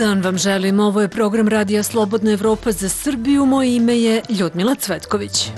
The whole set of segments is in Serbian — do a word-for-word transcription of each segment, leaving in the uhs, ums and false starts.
dan vam želim. Ovo je program Radija Slobodna Evropa za Srbiju. Moje ime je Ljudmila Cvetković.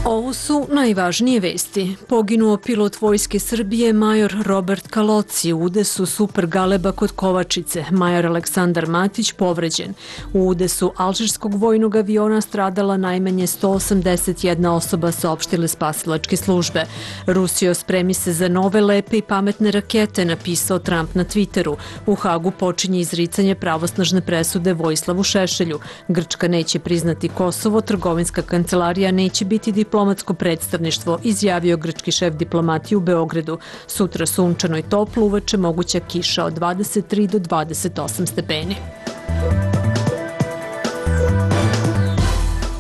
Ovo su najvažnije vesti. Poginuo pilot Vojske Srbije major Robert Kaloci u udesu Super Galeba kod Kovačice. Major Aleksandar Matić povređen. U udesu alžirskog vojnog aviona stradala najmanje sto osamdeset jedna osoba, saopštile spasilačke službe. Rusijo, spremi se za nove lepe i pametne rakete, napisao Trump na Twitteru. U Hagu počinje izricanje pravosnažne presude Vojislavu Šešelju. Grčka neće priznati Kosovo, trgovinska kancelarija neće biti diplomatsko predstavništvo, izjavio grčki šef diplomatije u Beogradu. Sutra sunčano i toplo, uveče moguća kiša od dvadeset tri do dvadeset osam stepeni.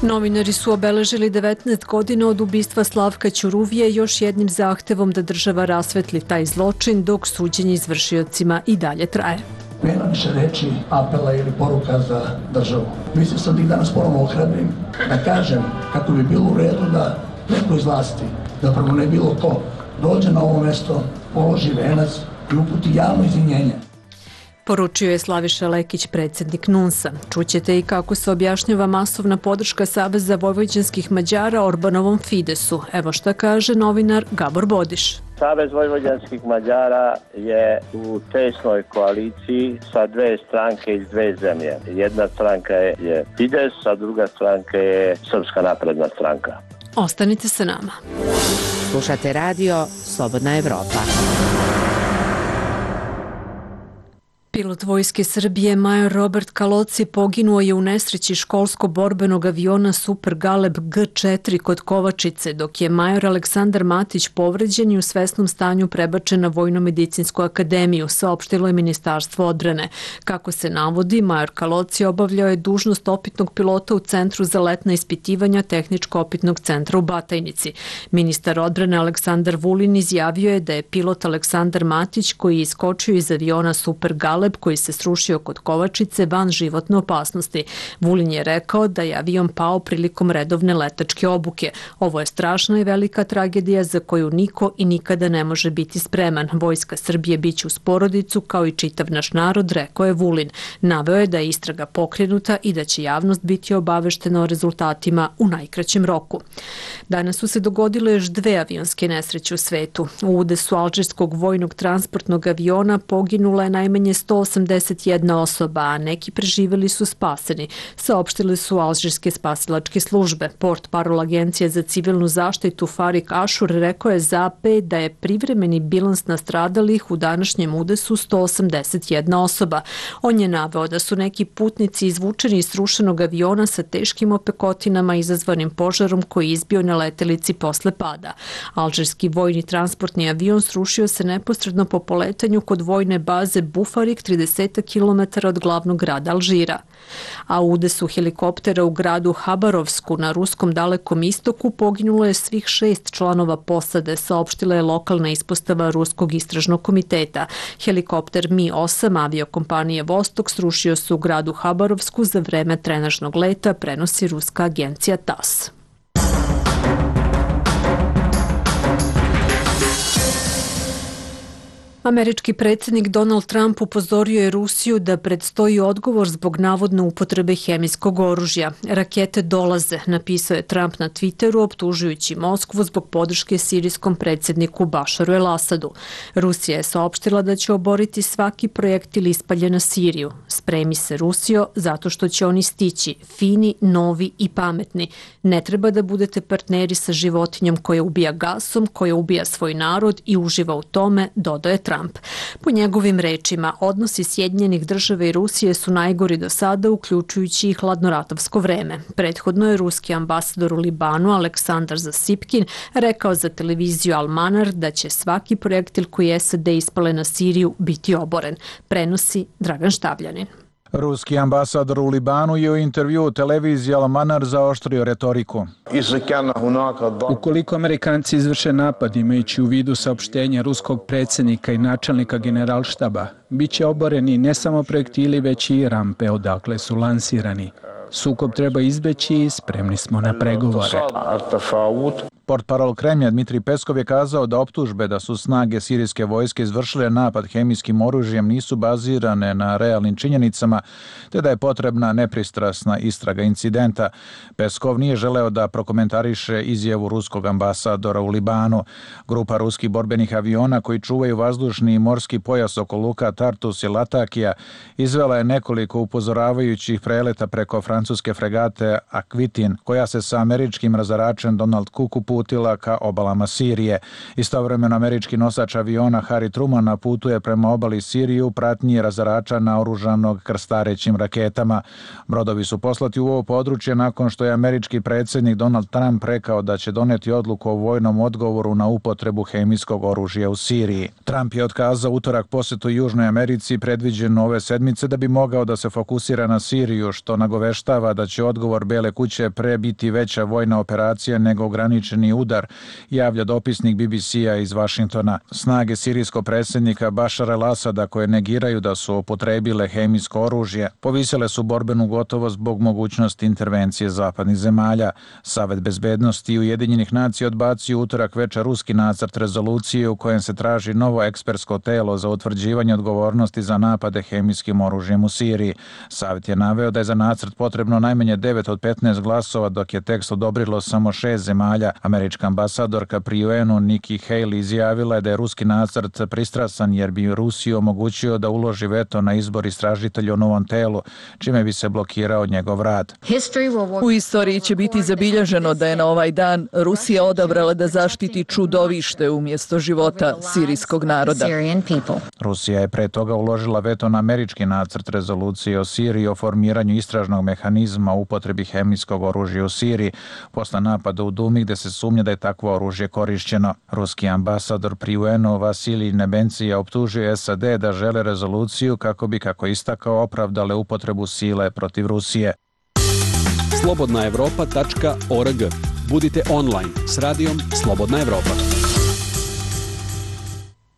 Novinari su obeležili devetnaest godina od ubistva Slavka Ćuruvije još jednim zahtevom da država rasvetli taj zločin, dok suđenje izvršiocima i dalje traje. Nema više reči, apela ili poruka za državu. Mislim sam da ih danas ponovno ohrabrim, da kažem kako bi bilo u redu da neko iz vlasti, da prvo ne bilo ko, dođe na ovo mesto, položi venac i uputi javno izvinjenje. Poručio je Slaviša Lekić, predsjednik NUNS-a. Čućete i kako se objašnjava masovna podrška Saveza vojvođanskih Mađara Orbanovom Fidesu. Evo šta kaže novinar Gabor Bodiš. Savez vojvođanskih Mađara je u tesnoj koaliciji sa dve stranke iz dve zemlje. Jedna stranka je Fides, a druga stranka je Srpska napredna stranka. Ostanite sa nama. Slušate radio Slobodna Evropa. Pilot Vojske Srbije major Robert Kaloci poginuo je u nesreći školsko-borbenog aviona Super Galeb G četiri kod Kovačice, dok je major Aleksandar Matić povređen i u svesnom stanju prebačen na Vojno-medicinsku akademiju, saopštilo je Ministarstvo odbrane. Kako se navodi, major Kaloci obavljao je dužnost opitnog pilota u Centru za letna ispitivanja Tehničko-opitnog centra u Batajnici. Ministar odbrane Aleksandar Vulin izjavio je da je pilot Aleksandar Matić, koji je iskočio iz aviona Super Galeb koji se srušio kod Kovačice, van životne opasnosti. Vulin je rekao da je avion pao prilikom redovne letačke obuke. Ovo je strašna i velika tragedija za koju niko i nikada ne može biti spreman. Vojska Srbije biće uz porodicu kao i čitav naš narod, rekao je Vulin. Naveo je da je istraga pokrenuta i da će javnost biti obaveštena o rezultatima u najkraćem roku. Danas su se dogodile još dve avionske nesreće u svetu. U udesu alžirskog vojnog transportnog aviona poginula je najmanje sto osamdeset jedna osoba, a neki preživeli su spaseni, saopštile su alžirske spasilačke službe. Portparol Agencije za civilnu zaštitu Farik Ašur rekao je za A P da je privremeni bilans nastradalih u današnjem udesu sto osamdeset jedna osoba. On je naveo da su neki putnici izvučeni iz srušenog aviona sa teškim opekotinama izazvanim požarom koji je izbio na letelici posle pada. Alžirski vojni transportni avion srušio se neposredno po poletanju kod vojne baze Bufarik, trideset kilometara od glavnog grada Alžira. A u udesu helikoptera u gradu Habarovsku na ruskom dalekom istoku poginulo je svih šest članova posade, saopštila je lokalna ispostava Ruskog istražnog komiteta. Helikopter Mi osam aviokompanije Vostok srušio se u gradu Habarovsku za vreme trenažnog leta, prenosi ruska agencija T A S. Američki predsjednik Donald Trump upozorio je Rusiju da predstoji odgovor zbog navodne upotrebe hemijskog oružja. Rakete dolaze, napisao je Trump na Twitteru, optužujući Moskvu zbog podrške sirijskom predsjedniku Bašaru el-Asadu. Rusija je saopštila da će oboriti svaki projektil ispaljen na Siriju. Spremi se, Rusijo, zato što će oni stići, fini, novi i pametni. Ne treba da budete partneri sa životinjom koja ubija gasom, koja ubija svoj narod i uživa u tome, dodaje Trump. Po njegovim rečima, odnosi Sjedinjenih država i Rusije su najgori do sada, uključujući i hladnoratovsko vreme. Prethodno je ruski ambasador u Libanu Aleksandar Zasipkin rekao za televiziju Al-Manar da će svaki projektil koji S A D ispale na Siriju biti oboren. Prenosi Dragan Štavljanin. Ruski ambasador u Libanu je u intervjuu televiziji Al-Manar zaoštrio retoriku. Ukoliko Amerikanci izvrše napad imajući u vidu saopštenja ruskog predsjednika i načelnika generalštaba, bit će oboreni ne samo projektili već i rampe odakle su lansirani. Sukob treba izbeći i spremni smo na pregovore. Portparol Kremlja Dmitrij Peskov je kazao da optužbe da su snage sirijske vojske izvršile napad hemijskim oružjem nisu bazirane na realnim činjenicama, te da je potrebna nepristrasna istraga incidenta. Peskov nije želeo da prokomentariše izjavu ruskog ambasadora u Libanu. Grupa ruskih borbenih aviona koji čuvaju vazdušni i morski pojas oko luka Tartus i Latakija izvela je nekoliko upozoravajućih preleta preko francuske fregate Akvitin, koja se sa američkim razaračem Donald Cook uputila ka obalama Sirije. Istovremeno američki nosač aviona Harry Truman putuje prema obali Sirije u pratnji razarača naoružanog krstarećim raketama. Brodovi su poslati u ovo područje nakon što je američki predsjednik Donald Trump rekao da će doneti odluku o vojnom odgovoru na upotrebu hemijskog oružja u Siriji. Trump je otkazao utorak posetu Južnoj Americi predviđen ove sedmice da bi mogao da se fokusira na Siriju, što nagoveštava da će odgovor Bele kuće pre biti veća vojna operacija nego ograničeni udar, javlja dopisnik B B C-a iz Vašingtona. Snage sirijskog predsjednika Bašara al-Asada, koje negiraju da su upotrebile hemijsko oružje, povisile su borbenu gotovost zbog mogućnosti intervencije zapadnih zemalja. Savet bezbednosti i Ujedinjenih nacija odbacio utorak večer ruski nacrt rezolucije u kojem se traži novo ekspertsko telo za utvrđivanje odgovornosti za napade hemijskim oružjem u Siriji. Savet je naveo da je za nacrt potrebno najmanje devet od petnaest glasova, dok je tekst odobrilo samo šest zemalja. Američka ambasadorka pri U N-u Nikki Haley izjavila je da je ruski nacrt pristrasan jer bi Rusiji omogućio da uloži veto na izbor istražitelja u novom telu, čime bi se blokirao njegov rad. U istoriji će biti zabilježeno da je na ovaj dan Rusija odabrala da zaštiti čudovište umjesto života sirijskog naroda. Rusija je pre toga uložila veto na američki nacrt rezolucije o Siriji o formiranju istražnog mehanizma u upotrebi hemijskog oružja u Siriji posle napada u Dumi gde se sumnja da je takvo oružje korišćeno. Ruski ambasador pri U N-u Vasilij Nebencija optužuje S A D da žele rezoluciju kako bi, kako istakao, opravdale upotrebu sile protiv Rusije. slobodna evropa tačka org. Budite online s radijom Slobodna Evropa.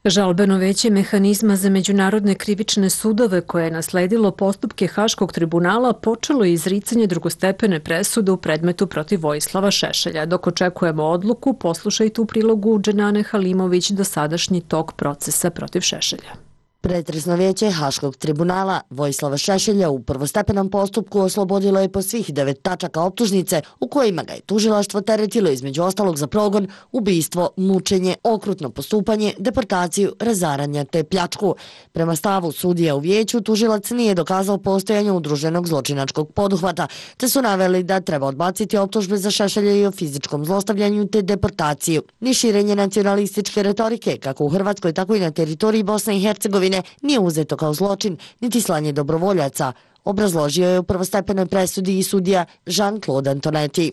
Žalbeno veće mehanizma za međunarodne krivične sudove koje je nasledilo postupke Haškog tribunala počelo je izricanje drugostepene presude u predmetu protiv Vojislava Šešelja. Dok očekujemo odluku, poslušajte u prilogu Dženane Halimović dosadašnji tok procesa protiv Šešelja. Pretresno vijeće Haškog tribunala Vojislava Šešelja u prvostepenom postupku oslobodilo je po svih devet tačaka optužnice u kojima ga je tužilaštvo teretilo između ostalog za progon, ubistvo, mučenje, okrutno postupanje, deportaciju, razaranje te pljačku. Prema stavu sudija u vijeću, tužilac nije dokazao postojanje udruženog zločinačkog poduhvata, te su naveli da treba odbaciti optužbe za Šešelja i o fizičkom zlostavljanju te deportaciju. Ni širenje nacionalističke retorike, kako u Hrvatskoj, tako i na teritoriji Bosne i Hercegovine, nije uzeto kao zločin, niti slanje dobrovoljaca, obrazložio je u prvostepenoj presudi i sudija Jean-Claude Antonetti.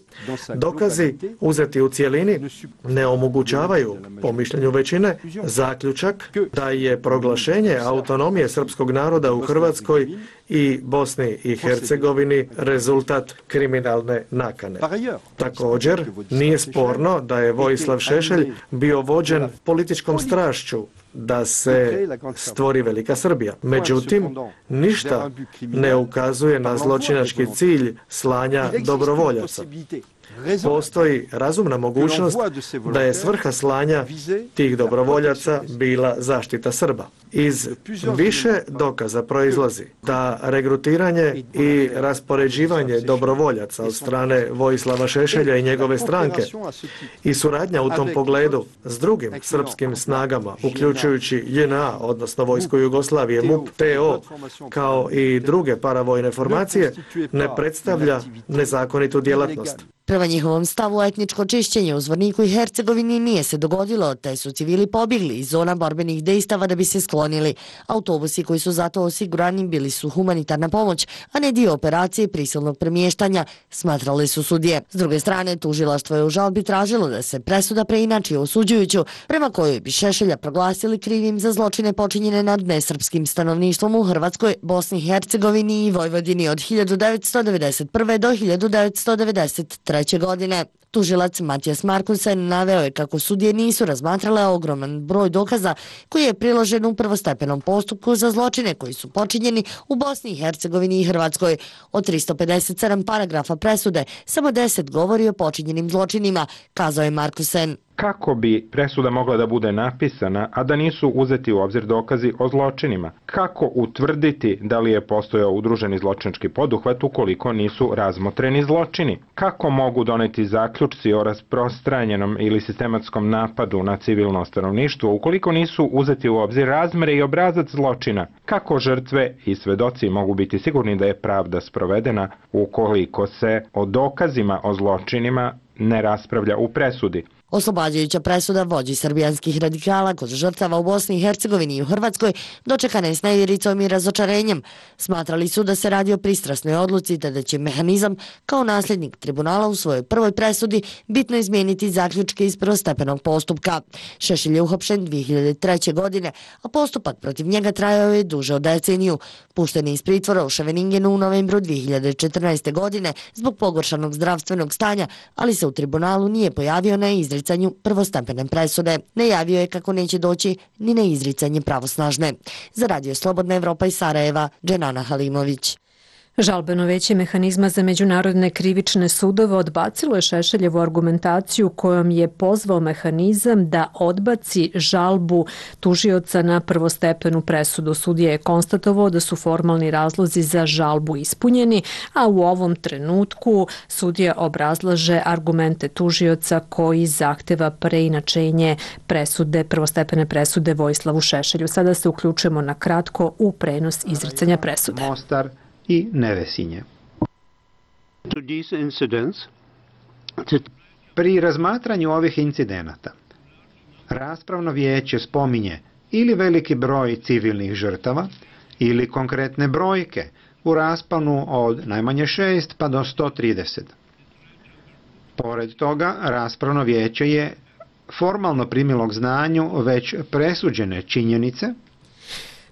Dokazi uzeti u cijelini ne omogućavaju, po mišljenju većine, zaključak da je proglašenje autonomije srpskog naroda u Hrvatskoj i Bosni i Hercegovini rezultat kriminalne nakane. Također, nije sporno da je Vojislav Šešelj bio vođen političkom strašću da se stvori Velika Srbija. Međutim, ništa ne ukazuje na zločinački cilj slanja dobrovoljaca. Postoji razumna mogućnost da je svrha slanja tih dobrovoljaca bila zaštita Srba. Iz više dokaza proizlazi da regrutiranje i raspoređivanje dobrovoljaca od strane Vojislava Šešelja i njegove stranke i suradnja u tom pogledu s drugim srpskim snagama, uključujući J N A, odnosno Vojsku Jugoslavije, M U P, T O, kao i druge paravojne formacije, ne predstavlja nezakonitu djelatnost. Prema njihovom stavu, etničko čišćenje u Zvorniku i Hercegovini nije se dogodilo, te su civili pobjegli iz zona borbenih dejstava da bi se sklonili. Autobusi koji su zato osigurani bili su humanitarna pomoć, a ne dio operacije prisilnog premještanja, smatrali su sudije. S druge strane, tužilaštvo je u žalbi tražilo da se presuda preinači osuđujuću, prema kojoj bi Šešelja proglasili krivim za zločine počinjene nad nesrpskim stanovništvom u Hrvatskoj, Bosni i Hercegovini i Vojvodini od hiljadu devetsto devedeset prve do hiljadu devetsto devedeset treće godine. Tužilac Matijas Markusen naveo je kako sudije nisu razmatrale ogroman broj dokaza koji je priložen u prvostepenom postupku za zločine koji su počinjeni u Bosni i Hercegovini i Hrvatskoj. Od tristo pedeset sedam paragrafa presude, samo deset govori o počinjenim zločinima, kazao je Markusen. Kako bi presuda mogla da bude napisana, a da nisu uzeti u obzir dokazi o zločinima? Kako utvrditi da li je postojao udruženi zločinački poduhvat ukoliko nisu razmotreni zločini? Kako mogu doneti zaključci o rasprostranjenom ili sistematskom napadu na civilno stanovništvo ukoliko nisu uzeti u obzir razmere i obrazac zločina? Kako žrtve i svedoci mogu biti sigurni da je pravda sprovedena ukoliko se o dokazima o zločinima ne raspravlja u presudi? Oslobađajuća presuda vođi srbijanskih radikala kod žrtava u Bosni i Hercegovini i u Hrvatskoj dočekana je s neviricom i razočarenjem. Smatrali su da se radi o pristrasnoj odluci te da će mehanizam kao nasljednik tribunala u svojoj prvoj presudi bitno izmijeniti zaključke iz prvostepenog postupka. Šešelj je uhapšen dvije hiljade treće. godine, a postupak protiv njega trajao je duže od deceniju. Pušten je iz pritvora u Ševeningenu u novembru dvije hiljade četrnaeste. godine zbog pogoršanog zdravstvenog stanja, ali se u tribunalu nije pojavio na izricanju prvostepene presude. Najavio je kako neće doći ni na izricanje pravosnažne. Za Radio Slobodna Evropa iz Sarajeva, Dženana Halimović. Žalbeno veće mehanizma za međunarodne krivične sudove odbacilo je Šešeljevu argumentaciju kojom je pozvao mehanizam da odbaci žalbu tužioca na prvostepenu presudu. Sudija je konstatovao da su formalni razlozi za žalbu ispunjeni, a u ovom trenutku sudija obrazlaže argumente tužioca koji zahteva preinačenje presude, prvostepene presude Vojislavu Šešelju. Sada se uključujemo na kratko u prenos izricanja presude. Mostar i Nevesinje. Pri razmatranju ovih incidenata, raspravno vijeće spominje ili veliki broj civilnih žrtava ili konkretne brojke u rasponu od najmanje šest pa do sto trideset. Pored toga, raspravno vijeće je formalno primilo k znanju već presuđene činjenice.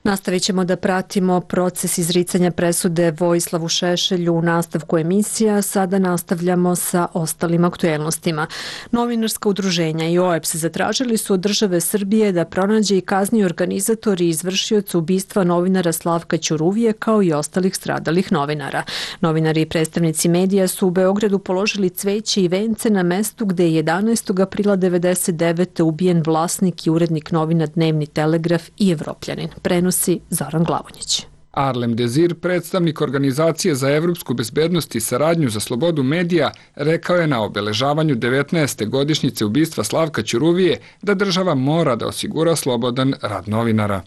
Nastavit ćemo da pratimo proces izricanja presude Vojislavu Šešelju u nastavku emisija. Sada nastavljamo sa ostalim aktuelnostima. Novinarska udruženja i O E P S zatražili su od države Srbije da pronađe i kazni organizatori i izvršioci ubistva novinara Slavka Ćuruvije kao i ostalih stradalih novinara. Novinari i predstavnici medija su u Beogradu položili cveće i vence na mestu gde je jedanaestog aprila devedeset devete. ubijen vlasnik i urednik novina Dnevni Telegraf i Evropljanin. Prenos Zoran Glavonjić. Arlem Dezir, predstavnik Organizacije za evropsku bezbednost i saradnju za slobodu medija, rekao je na obeležavanju devetnaeste godišnjice ubistva Slavka Ćuruvije da država mora da osigura slobodan rad novinara.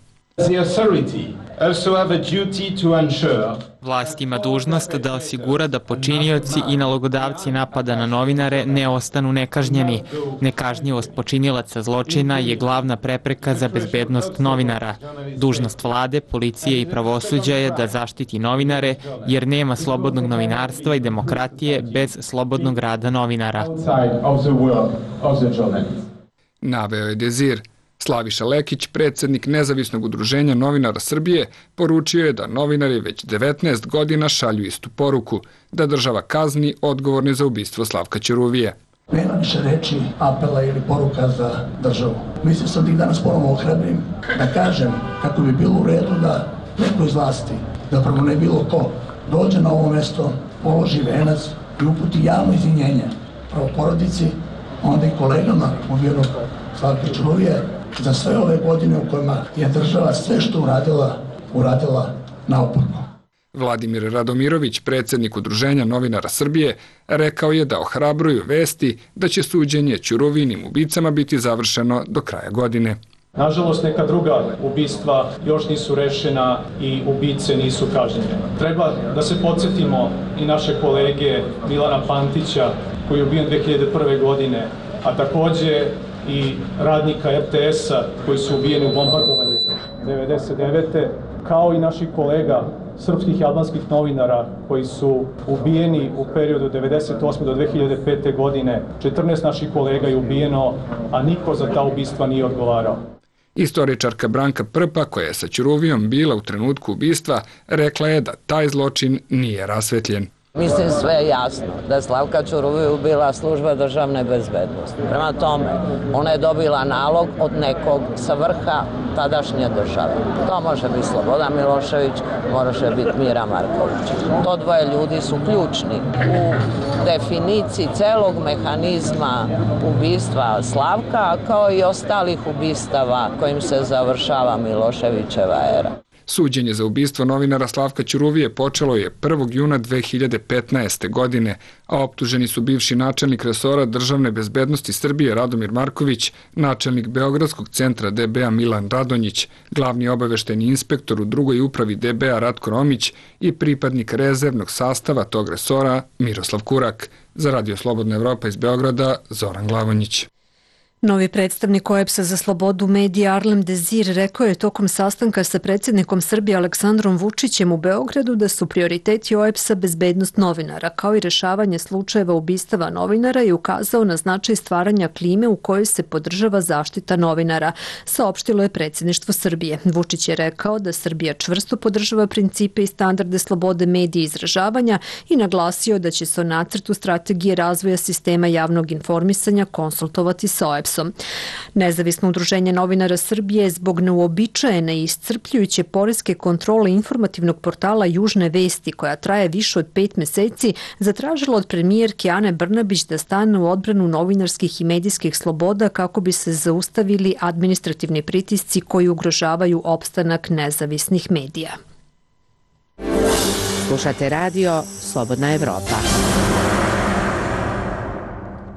Vlast ima dužnost da osigura da počinioci i nalogodavci napada na novinare ne ostanu nekažnjeni. Nekažnjivost počinilaca zločina je glavna prepreka za bezbednost novinara. Dužnost vlade, policije i pravosuđa je da zaštiti novinare, jer nema slobodnog novinarstva i demokratije bez slobodnog rada novinara. Naveo je Dezir. Slaviša Lekić, predsjednik Nezavisnog udruženja novinara Srbije, poručio je da novinari već devetnaest godina šalju istu poruku, da država kazni odgovorni za ubistvo Slavka Ćuruvije. Nema više reči, apela ili poruka za državu. Mislio sam da ih danas ponovno ohrabrim, da kažem kako bi bilo u redu da neko iz vlasti, da prvo ne bilo ko, dođe na ovo mesto, položi venac i uputi javno izvinjenje prvo porodici, onda i kolegama ubijenog Slavka Ćuruvije, za sve ove godine u kojima je država sve što uradila, uradila naopako. Vladimir Radomirović, predsjednik Udruženja novinara Srbije, rekao je da ohrabruju vesti da će suđenje Ćuruvinim ubicama biti završeno do kraja godine. Nažalost, neka druga ubistva još nisu rešena i ubice nisu kažnjene. Treba da se podsjetimo i naše kolege Milana Pantića, koji je ubijen dve hiljade prve. godine, a takođe i radnika R T S-a koji su ubijeni u bombardovanju devedeset devete. kao i naših kolega srpskih i albanskih novinara koji su ubijeni u periodu devedeset osme do dve hiljade pete. godine. četrnaest naših kolega je ubijeno, a niko za ta ubistva nije odgovarao. Istoričarka Branka Prpa, koja je sa Ćuruvijom bila u trenutku ubistva, rekla je da taj zločin nije rasvetljen. Mislim sve je jasno da Slavka Ćuruviju ubila služba državne bezbednosti. Prema tome, ona je dobila nalog od nekog sa vrha tadašnje države. To može biti Slobodan Milošević, može biti Mira Marković. To dvoje ljudi su ključni u definiciji celog mehanizma ubistva Slavka, kao i ostalih ubistava kojim se završava Miloševićeva era. Suđenje za ubistvo novinara Slavka Ćuruvije počelo je prvog juna dve hiljade petnaeste. godine, a optuženi su bivši načelnik resora državne bezbednosti Srbije Radomir Marković, načelnik Beogradskog centra D B A Milan Radonjić, glavni obaveštajni inspektor u drugoj upravi D B A Ratko Romić i pripadnik rezervnog sastava tog resora Miroslav Kurak. Za Radio Slobodna Evropa iz Beograda, Zoran Glavonjić. Novi predstavnik O E B S-a za slobodu medija Arlem Dezir rekao je tokom sastanka sa predsjednikom Srbije Aleksandrom Vučićem u Beogradu da su prioriteti O E B S-a bezbednost novinara, kao i rešavanje slučajeva ubistava novinara i ukazao na značaj stvaranja klime u kojoj se podržava zaštita novinara, saopštilo je predsjedništvo Srbije. Vučić je rekao da Srbija čvrsto podržava principe i standarde slobode medija i izražavanja i naglasio da će se o nacrtu strategije razvoja sistema javnog informisanja konsultovati sa O E B S-om. Nezavisno udruženje novinara Srbije zbog neuobičajene i iscrpljujuće poreske kontrole informativnog portala Južne vesti, koja traje više od pet meseci, zatražilo od premijerke Ane Brnabić da stane u odbranu novinarskih i medijskih sloboda kako bi se zaustavili administrativni pritisci koji ugrožavaju opstanak nezavisnih medija. Slušate radio Slobodna Evropa.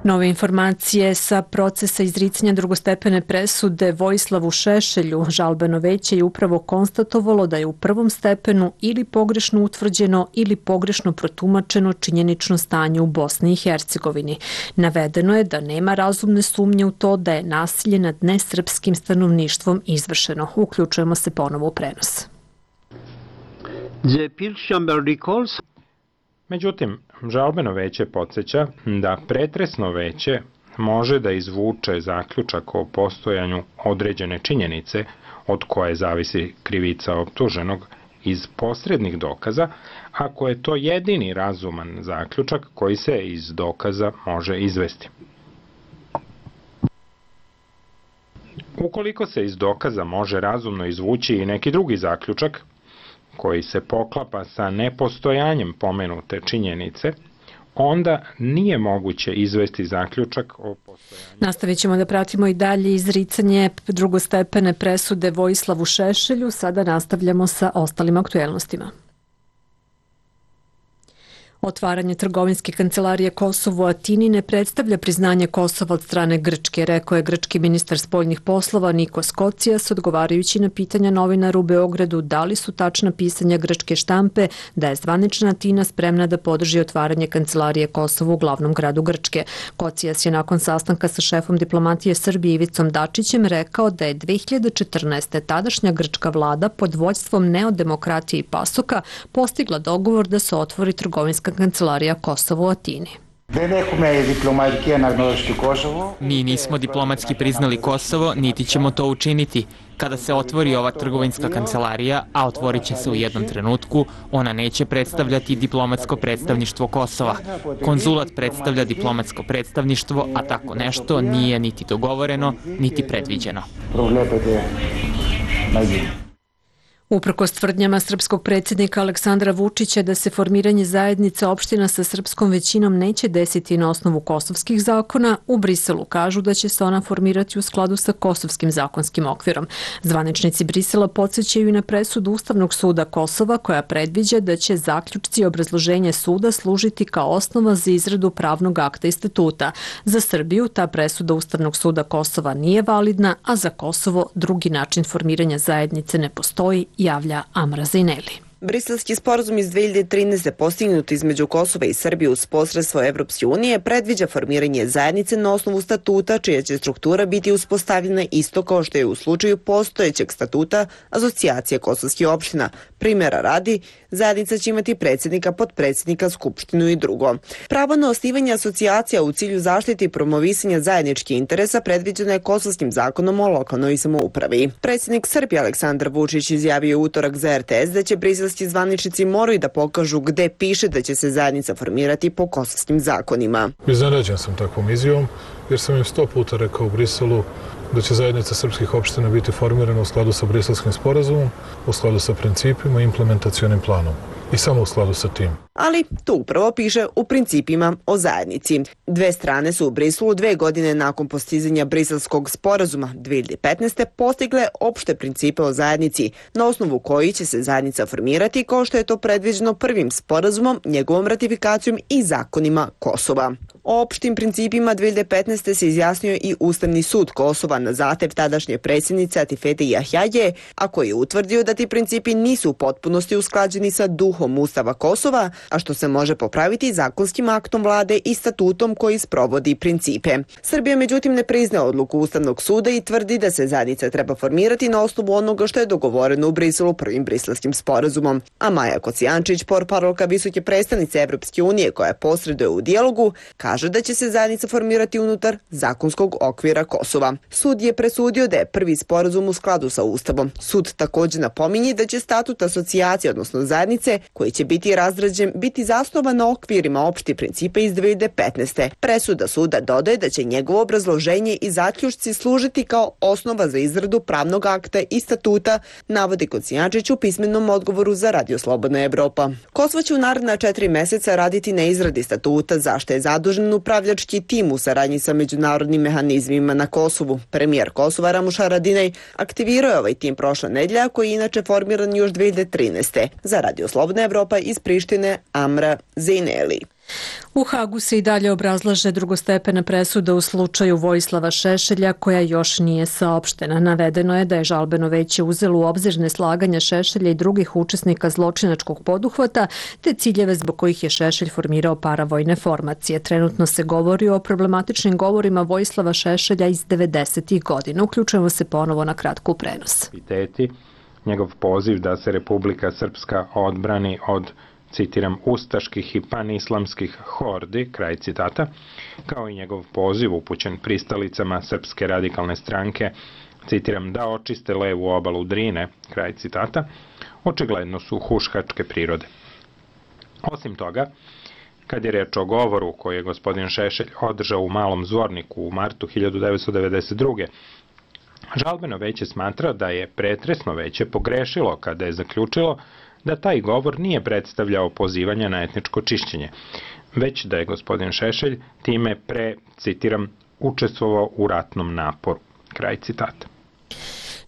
Nove informacije sa procesa izricanja drugostepene presude Vojislavu Šešelju. Žalbeno veće je upravo konstatovalo da je u prvom stepenu ili pogrešno utvrđeno ili pogrešno protumačeno činjenično stanje u Bosni i Hercegovini. Navedeno je da nema razumne sumnje u to da je nasilje nad nesrpskim stanovništvom izvršeno. Uključujemo se ponovo u prenos. Međutim, žalbeno veće podsjeća da pretresno veće može da izvuče zaključak o postojanju određene činjenice od koje zavisi krivica optuženog iz posrednih dokaza, ako je to jedini razuman zaključak koji se iz dokaza može izvesti. Ukoliko se iz dokaza može razumno izvući i neki drugi zaključak, koji se poklapa sa nepostojanjem pomenute činjenice, onda nije moguće izvesti zaključak o postojanju. Nastavit ćemo da pratimo i dalje izricanje drugostepene presude Vojislavu Šešelju. Sada nastavljamo sa ostalim aktuelnostima. Otvaranje trgovinske kancelarije Kosovo u Atini ne predstavlja priznanje Kosova od strane Grčke, rekao je grčki ministar spoljnih poslova Nikos Kocijas, odgovarajući na pitanja novinara u Beogradu da li su tačna pisanja grčke štampe da je zvanična Atina spremna da podrži otvaranje kancelarije Kosovo u glavnom gradu Grčke. Kocijas je nakon sastanka sa šefom diplomatije Srbije Ivicom Dačićem rekao da je dve hiljade četrnaeste. tadašnja grčka vlada pod vođstvom Neodemokratije i Pasoka postigla dogovor da se otvori trgovinska kancelarija Kosovo u Atini. Mi nismo diplomatski priznali Kosovo, niti ćemo to učiniti. Kada se otvori ova trgovinska kancelarija, a otvorit će se u jednom trenutku, ona neće predstavljati diplomatsko predstavništvo Kosova. Konzulat predstavlja diplomatsko predstavništvo, a tako nešto nije niti dogovoreno, niti predviđeno. Uprkos tvrdnjama srpskog predsjednika Aleksandra Vučića da se formiranje zajednice opština sa srpskom većinom neće desiti na osnovu kosovskih zakona, u Briselu kažu da će se ona formirati u skladu sa kosovskim zakonskim okvirom. Zvaničnici Brisela podsjećaju i na presudu Ustavnog suda Kosova koja predviđa da će zaključci i obrazloženje suda služiti kao osnova za izradu pravnog akta i statuta. Za Srbiju ta presuda Ustavnog suda Kosova nije validna, a za Kosovo drugi način formiranja zajednice ne postoji, javlja Amra Zineli. Briselski sporazum iz dve hiljade trinaeste. postignut između Kosova i Srbije uz posredstvo Evropske unije predviđa formiranje zajednice na osnovu statuta čija će struktura biti uspostavljena isto kao što je u slučaju postojećeg statuta Asocijacije kosovskih opština. Primjera radi, zajednica će imati predsjednika, potpredsjednika, skupštinu i drugo. Pravo na osnivanje asocijacija u cilju zaštite i promovisanja zajedničkih interesa predviđeno je Kosovskim zakonom o lokalnoj samoupravi. Predsjednik Srbije Aleksandar Vučić izjavio utorak za R T S da će Brisel kosovski zvaničnici moraju da pokažu gde piše da će se zajednica formirati po kosovskim zakonima. Iznenađen sam takvom izjavom, jer sam im sto puta rekao u Briselu da će zajednica srpskih opština biti formirana u skladu sa Briselskim sporazumom, u skladu sa principima i implementacionim planom. I samo u skladu sa tim. Ali to upravo piše u principima o zajednici. Dve strane su u Briselu dve godine nakon postizanja Briselskog sporazuma dve hiljade petnaeste. postigle opšte principe o zajednici, na osnovu koji će se zajednica formirati kao što je to predviđeno prvim sporazumom, njegovom ratifikacijom i zakonima Kosova. O opštim principima dve hiljade petnaeste. se izjasnio i Ustavni sud Kosova na zahtev tadašnje predsjednice Atifete Jahjaje, a koji je utvrdio da ti principi nisu u potpunosti usklađeni sa duhom Ustava Kosova, a što se može popraviti zakonskim aktom vlade i statutom koji sprovodi principe. Srbija međutim ne priznaje odluku Ustavnog suda i tvrdi da se zajednica treba formirati na osnovu onoga što je dogovoreno u Briselu prvim Briselskim sporazumom. A Maja Kocijančić, portparolka visoke predstavnice Evropske unije koja posreduje u dijalogu, kaže da će se zajednica formirati unutar zakonskog okvira Kosova. Sud je presudio da je prvi sporazum u skladu sa Ustavom. Sud također napominje da će statut asocijacije, odnosno zajednice, koji će biti razrađen, biti zasnovan na okvirima opštih principa iz dve hiljade petnaeste. Presuda suda dodaje da će njegovo obrazloženje i zaključci služiti kao osnova za izradu pravnog akta i statuta, navodi Kocijančić u pismenom odgovoru za Radio Slobodna Evropa. Kosovo će u naredna četiri meseca raditi na izradi statuta, zašto je zadužen upravljački tim u saradnji sa međunarodnim mehanizmima na Kosovu. Premijer Kosova Ramuš Haradinaj aktivirao je ovaj tim prošle nedelje, koji je inače formiran još dve hiljade trinaeste. Za Radio Slobodna Evropa iz Prištine Amra Zejneli. U Hagu se i dalje obrazlaže drugostepena presuda u slučaju Vojislava Šešelja koja još nije saopštena. Navedeno je da je žalbeno veće uzelo u obzir neslaganja Šešelja i drugih učesnika zločinačkog poduhvata te ciljeve zbog kojih je Šešelj formirao paravojne formacije. Trenutno se govori o problematičnim govorima Vojislava Šešelja iz devedesetih godina. Uključujemo se ponovo na kratku prenos. Njegov poziv da se Republika Srpska odbrani od, citiram, ustaških i panislamskih hordi, kraj citata, kao i njegov poziv upućen pristalicama Srpske radikalne stranke, citiram, da očiste levu obalu Drine, kraj citata, očigledno su huškačke prirode. Osim toga, kad je reč o govoru koji je gospodin Šešelj održao u Malom Zvorniku u martu hiljadu devetsto devedeset druge. Žalbeno veće smatra da je pretresno veće pogrešilo kada je zaključilo da taj govor nije predstavljao pozivanje na etničko čišćenje, već da je gospodin Šešelj time pre, citiram, učestvovao u ratnom naporu. Kraj citata.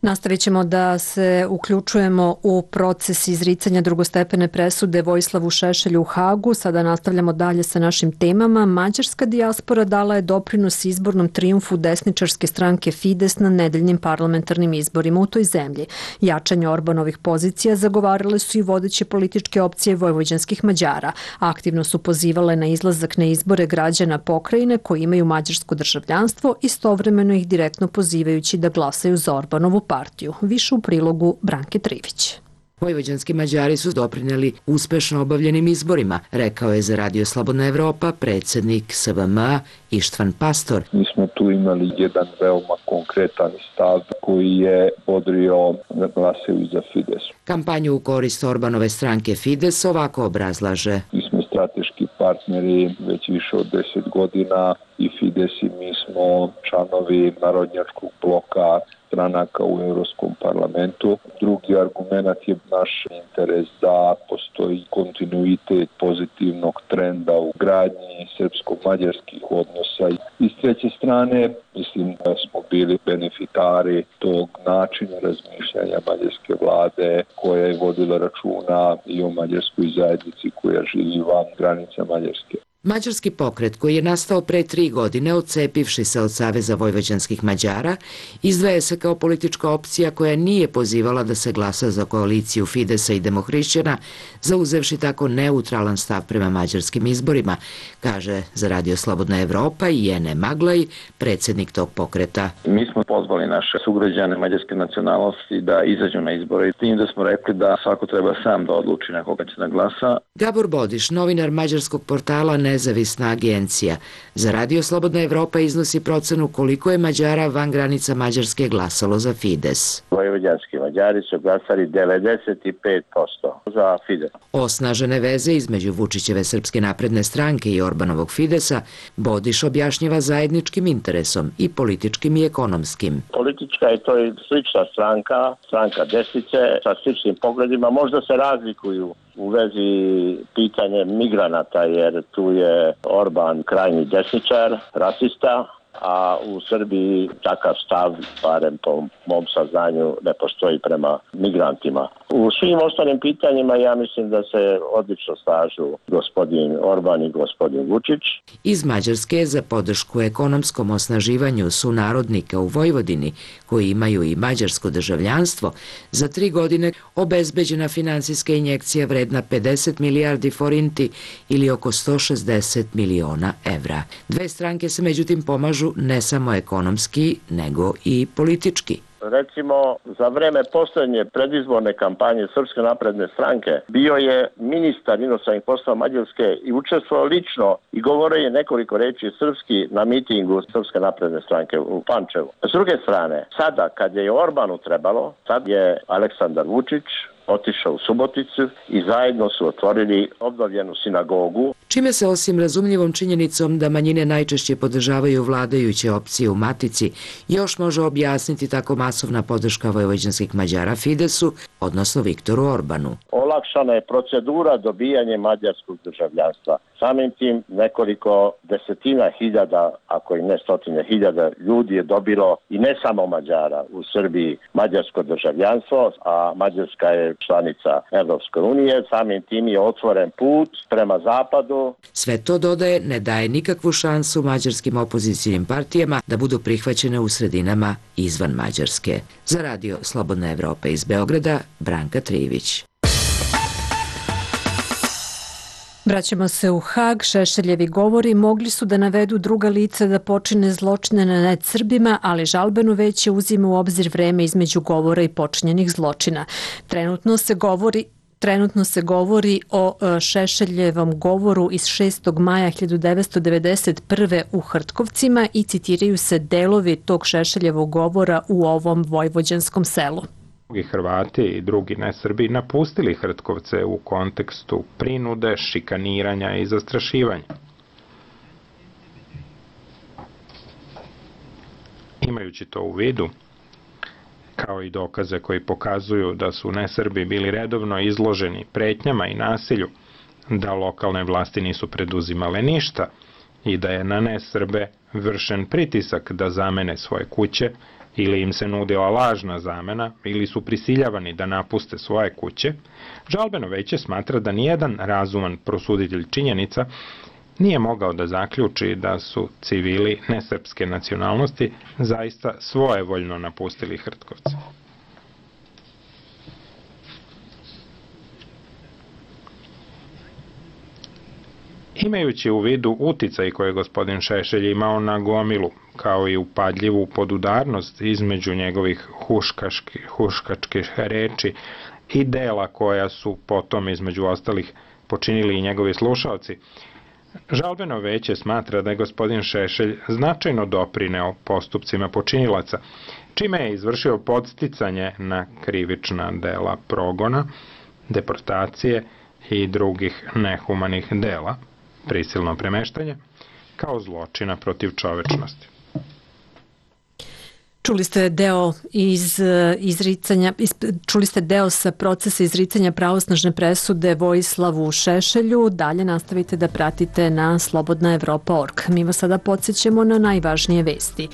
Nastavit ćemo da se uključujemo u proces izricanja drugostepene presude Vojislavu Šešelju u Hagu. Sada nastavljamo dalje sa našim temama. Mađarska dijaspora dala je doprinos izbornom trijumfu desničarske stranke Fides na nedeljnim parlamentarnim izborima u toj zemlji. Jačanje Orbanovih pozicija zagovarale su i vodeće političke opcije vojvođanskih Mađara. Aktivno su pozivale na izlazak na izbore građana pokrajine koji imaju mađarsko državljanstvo, istovremeno ih direktno pozivajući da glasaju za Orbanovu partiju. Više u prilogu Branke Trivić. Vojvođanski Mađari su doprineli uspešno obavljenim izborima, rekao je za Radio Slobodna Evropa predsjednik S V M A Ištvan Pastor. Mi smo tu imali jedan veoma konkretan stav koji je bodrio da glasaju za Fides. Kampanju u korist Orbanove stranke Fides ovako obrazlaže. Mi smo strateški partneri već više od deset godina i Fides i mi smo članovi narodnjačkog bloka stranaka u Europskom parlamentu. Drugi argument je naš interes da postoji kontinuitet pozitivnog trenda u gradnji srpsko-mađarskih odnosa. I s treće strane, mislim da smo bili benefitari tog načina razmišljanja mađarske vlade koja je vodila računa i o mađarskoj zajednici koja živi van granica Mađarske. Mađarski pokret, koji je nastao pre tri godine odcepivši se od Saveza vojvođanskih Mađara, izdvaja se kao politička opcija koja nije pozivala da se glasa za koaliciju Fidesa i Demohrišćana, zauzevši tako neutralan stav prema mađarskim izborima, kaže za Radio Slobodna Evropa i Jene Maglaj, predsjednik tog pokreta. Mi smo pozvali naše sugrađane mađarske nacionalnosti da izađu na izbore i tim da smo rekli da svako treba sam da odluči na koga će da glasa. Gabor Bodiš, novinar mađarskog portala nezavisna agencija. Za Radio Slobodna Evropa iznosi procenu koliko je Mađara van granica Mađarske glasalo za Fides. Vojvođanski Mađari su glasali devedeset pet posto za Fides. Osnažene veze između Vučićeve Srpske napredne stranke i Orbanovog Fidesa Bodiš objašnjava zajedničkim interesom i političkim i ekonomskim. Politička je to i slična stranka, stranka desnice sa sličnim pogledima, možda se razlikuju u vezi pitanje migranata, jer tu je Orban krajnji desničar, rasista, a u Srbiji takav stav, barem po mom saznanju, ne postoji prema migrantima. U svim ostalim pitanjima ja mislim da se odlično slažu gospodin Orban i gospodin Vučić. Iz Mađarske za podršku ekonomskom osnaživanju sunarodnika u Vojvodini, koji imaju i mađarsko državljanstvo, za tri godine obezbeđena finansijska injekcija vredna pedeset milijardi forinti ili oko sto šezdeset miliona evra. Dve stranke se međutim pomažu ne samo ekonomski, nego i politički. Recimo, za vreme poslednje predizborne kampanje Srpske napredne stranke bio je ministar inostranih poslova Mađarske i učestvovao lično i govorio je nekoliko reči srpski na mitingu Srpske napredne stranke u Pančevu. S druge strane, sada kad je Orbanu trebalo, sad je Aleksandar Vučić otišao u Suboticu i zajedno su otvorili obnovljenu sinagogu. Čime se osim razumljivom činjenicom da manjine najčešće podržavaju vladajuće opcije u Matici, još može objasniti tako masovna podrška vojvođanskih Mađara Fidesu, odnosno Viktoru Orbanu. Olakšana je procedura dobijanja mađarskog državljanstva. Samim tim nekoliko desetina hiljada, ako i ne stotine hiljada ljudi je dobilo, i ne samo Mađara, u Srbiji mađarsko državljanstvo, a Mađarska je članica Evropske unije. Samim tim je otvoren put prema zapadu. Sve to, dodaje, ne daje nikakvu šansu mađarskim opozicijnim partijama da budu prihvaćene u sredinama izvan Mađarske. Za Radio Slobodna Evropa iz Beograda, Branka Trivić. Vraćamo se u Hag. Šešeljevi govori mogli su da navedu druga lica da počine zločine nad Srbima, ali žalbeno veće uzima u obzir vreme između govora i počinjenih zločina. Trenutno se govori Trenutno se govori o Šešeljevom govoru iz šestog maja hiljadu devetsto devedeset prve u Hrtkovcima i citiraju se delovi tog Šešeljevog govora u ovom vojvođanskom selu. Drugi Hrvati i drugi nesrbi napustili Hrtkovce u kontekstu prinude, šikaniranja i zastrašivanja. Imajući to u vidu, kao i dokaze koji pokazuju da su nesrbi bili redovno izloženi pretnjama i nasilju, da lokalne vlasti nisu preduzimale ništa i da je na nesrbe vršen pritisak da zamene svoje kuće, ili im se nudila lažna zamena, ili su prisiljavani da napuste svoje kuće, žalbeno veće smatra da nijedan razuman prosuditelj činjenica nije mogao da zaključi da su civili nesrpske nacionalnosti zaista svojevoljno napustili Hrtkovce. Imajući u vidu uticaj koje je gospodin Šešelj imao na gomilu, kao i upadljivu podudarnost između njegovih huškaških, huškačkih reči i dela koja su potom između ostalih počinili i njegovi slušalci, žalbeno veće smatra da je gospodin Šešelj značajno doprineo postupcima počinilaca, čime je izvršio podsticanje na krivična dela progona, deportacije i drugih nehumanih dela, prisilno premeštanje, kao zločina protiv čovečnosti. Čuli ste deo iz izricanja, čuli ste deo sa procesa izricanja pravosnažne presude Vojislavu Šešelju. Dalje nastavite da pratite na slobodna evropa tačka org. Mi vas sada podsjećamo na najvažnije vesti.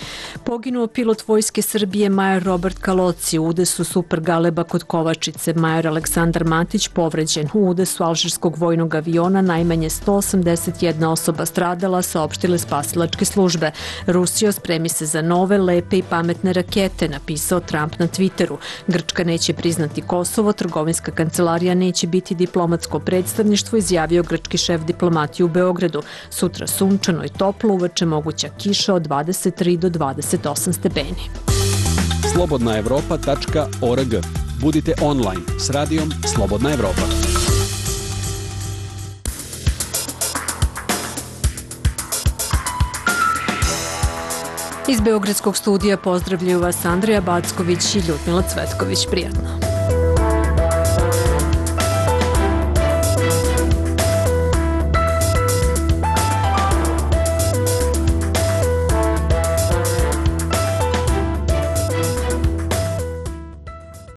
Poginuo pilot Vojske Srbije major Robert Kaloci u udesu Super Galeba kod Kovačice. Major Aleksandar Matić povređen. U udesu alžirskog vojnog aviona najmanje sto osamdeset jedna osoba stradala, saopštile spasilačke službe. Rusija spremi se za nove, lepe i pametne rakete, napisao Trump na Twitteru. Grčka neće priznati Kosovo, trgovinska kancelarija neće biti diplomatsko predstavništvo, izjavio grčki šef diplomatije u Beogradu. Sutra sunčano i toplo, uveče moguća kiša od dvadeset tri do dvadeset osam stepeni. slobodna evropa tačka org. Budite online s radijom Slobodna Evropa. Iz Beogradskog studija pozdravljaju vas Andrija Backović i Ljudmila Cvetković. Prijatno.